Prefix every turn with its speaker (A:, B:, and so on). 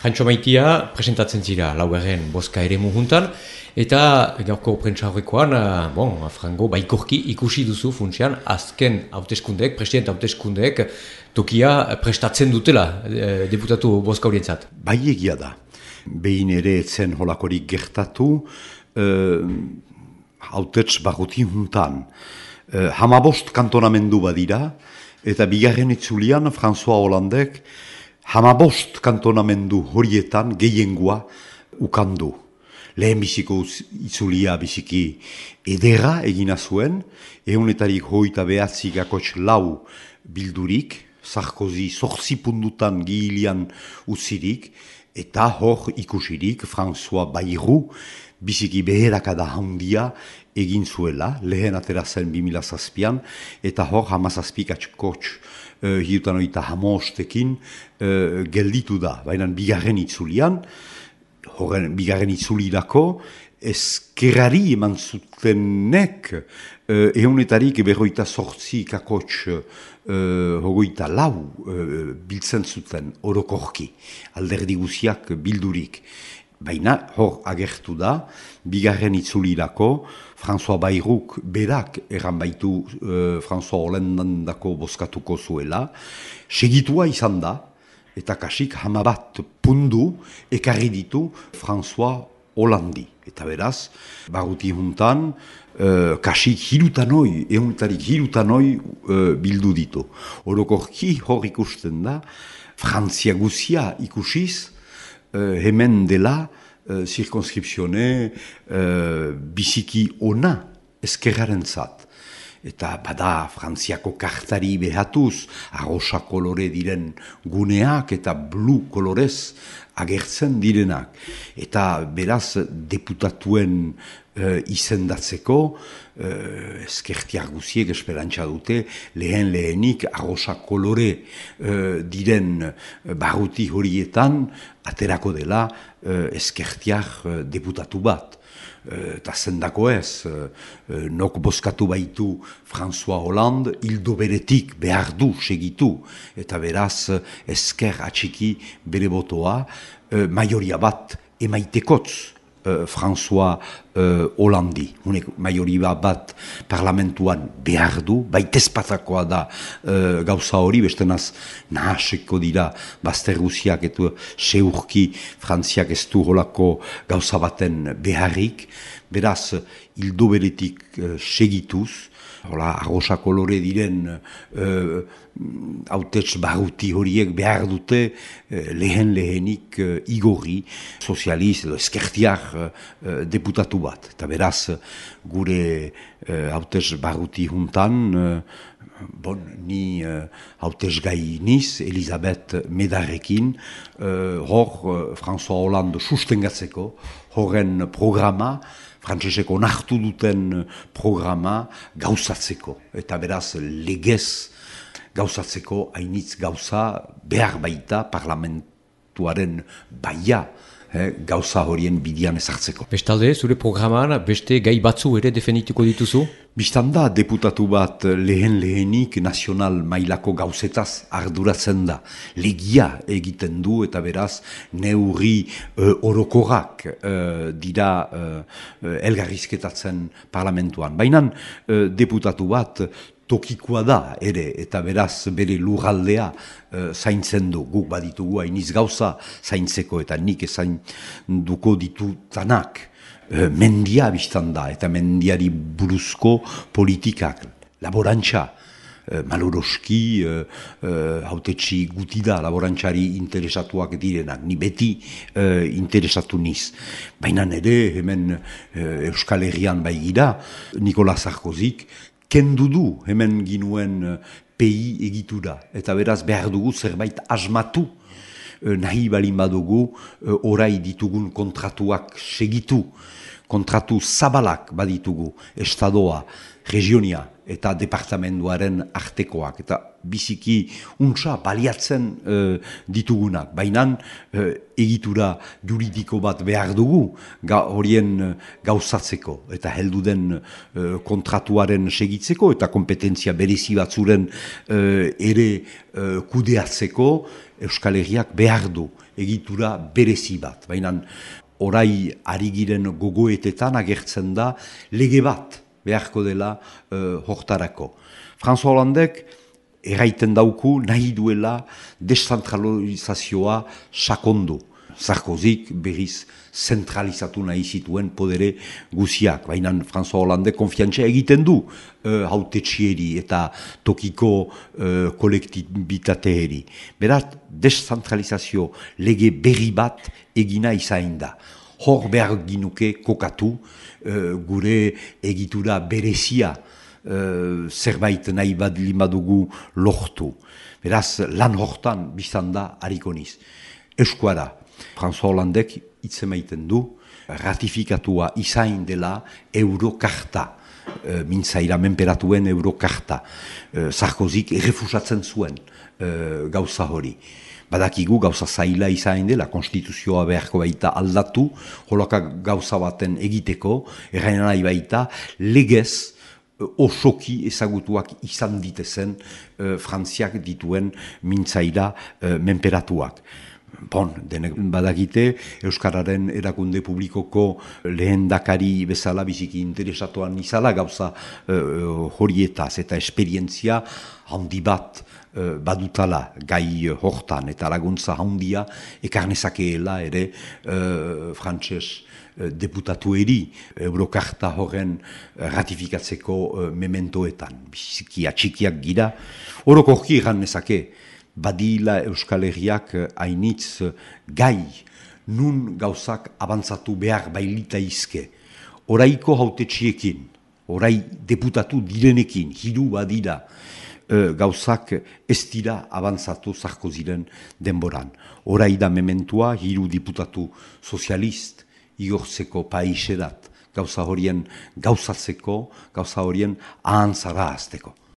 A: Frantxo Maitia presentatzen zira laugarren bozka ere juntan, eta gaurko prentsaurrekoan, Frango baikorki ikusi duzu funtsian azken hauteskundeek, presidente hauteskundeek tokia prestatzen dutela deputatu bozka horientzat.
B: Bai egia da. Behin ere etzen holakorik gertatu, hautets barruti juntan. 15 kantonamendu badira, eta bigarren itzulian François Hollandek 15 kantonamendu horietan gehiengoa ukandu. Lehen biziko itzulia biziki edera egina zuen, 129 bildurik, Sarkozy 8 pundutan gihilian utzirik, eta hor ikusirik François Bayrou biziki beherakada handia egin zuela, lehen atera zen 2007an, eta hor 17 atxkotx hiutan oita hamostekin gelditu da. Baina bigarren itzulian, horren bigarren itzulirako, ezkerrari eman zutenek, eunetarik berroita sortzi kakotx hogoita lau biltzen zuten orokorki, alderdi guziak bildurik. Baina hor agertu da, bigarren itzulirako, François Bayrouk berak erran baitu François Hollandako bozkatuko zuela, segitua izan da, eta kasik 11 pundu ekarri ditu François Hollandi. Eta beraz, baruti juntan, kasik hirutanoi, euntarik hirutanoi bildu ditu. Orokorki hor ikusten da, Frantzia guzia ikusiz, hemen dela, zirkonskripsione biziki ona ezkerraren zat. Eta bada Frantziako kartari behatuz, arrosa kolore diren guneak eta blu kolorez agertzen direnak. Eta beraz deputatuen izendatzeko, ezkertiak guziek esperantza dute, lehenik arrosa kolore diren barruti horietan aterako dela ezkertiak deputatu bat. Eta zendako ez, nok bozkatu baitu François Hollande, hildo beretik behar du segitu, eta beraz ezker atxiki bere botoa, maioria bat emaitekotz François Hollandi. Maioria bat parlamentuan behar du, baitezpatakoa da gauza hori, bestenaz nahaseko dira bazter guziak eta seurki Frantziak ez du holako gauza baten beharrik, beraz hildo beretik segituz, arrosa kolore diren hautets baruti horiek behar dute lehenik igorri sozializ edo ezkertiak deputatu bat. Eta beraz gure hautets baruti juntan, ni hautets gai niz, Elisabeth Medarrekin, hor François Hollande sustengatzeko, horren programa, frantseseko onartu duten programa gauzatzeko. Eta beraz legez gauzatzeko hainitz gauza behar baita parlamentuaren baia gauza horien bidian ezartzeko.
A: Bestalde, zure programan beste gai batzu ere definituko dituzu?
B: Bistanda, deputatu bat lehenik nazional mailako gauzetaz arduratzen da. Legia egiten du eta beraz neurri orokorrak dira elgarrizketatzen parlamentuan. Baina deputatu bat tokikoa da ere, eta beraz bere lurraldea zaintzen du. Guk baditugu hainiz gauza zaintzeko eta nik zainduko ditutanak. Mendia biztan da, eta mendiari buruzko politikak, laborantza, maloroski, hautetsi guti da, laborantzari interesatuak direnak, ni beti interesatu niz. Baina ere, hemen Euskal Herrian baigira, Nicolas Sarkozyk, kendu du hemen ginuen PI egitura, eta beraz behar dugu zerbait asmatu, nahi balin badugu orai ditugun kontratuak segitu, kontratu zabalak baditugu, estadoa, regionia eta departamentuaren artekoak, eta biziki untsa baliatzen ditugunak. Baina egitura juridiko bat behar dugu horien gauzatzeko, eta heldu den kontratuaren segitzeko, eta kompetentzia berezi batzuren ere kudeatzeko Euskal Herriak behar du egitura berezi bat. Baina orai ari giren gogoetetan agertzen da lege bat beharko dela hortarako. François Hollandek erraiten dauku nahi duela deszentralizazioa sakondu. Sarkozyk berriz zentralizatu nahi zituen podere guziak. Baina François Hollande konfiantza egiten du hautetsieri eta tokiko kolektibitateeri. Beraz, deszentralizazio lege berri bat egina izain da. Hor behar ginuke kokatu gure egitura berezia zerbait nahi bat limadugu lortu. Beraz, lan hortan biztan da harikoniz. Eskuara. François Hollandek itzemaiten du ratifikatua izain dela Eurokarta, mintzaira menperatuen Eurokarta. Sarkozyk errefusatzen zuen gauza hori. Badakigu gauza zaila izain dela, konstituzioa beharko baita aldatu, holaka gauza baten egiteko, erraina nahi baita, legez osoki ezagutuak izan ditezen Frantziak dituen mintzaira menperatuak. Bon, denek badakite, Euskararen erakunde publikoko lehendakari bezala biziki interesatuan izala gauza horietaz eta esperientzia handi bat badutala gai hortan eta laguntza handia ekarnezakeela ere frantses deputatueri Eurokarta horren ratifikatzeko mementoetan. Biziki atxikiak gira, orokorki egan nezake, badila Euskal Herriak hainitz gai nun gauzak abantzatu behar bailita izke. Oraiko hautetxiekin, orai deputatu direnekin, hiru badira gauzak ez dira abantzatu Sarkozyren denboran. Orai da mementua hiru diputatu sozialist igortzeko paiserat, gauza horien gauzatzeko, gauza horien ahantzara azteko.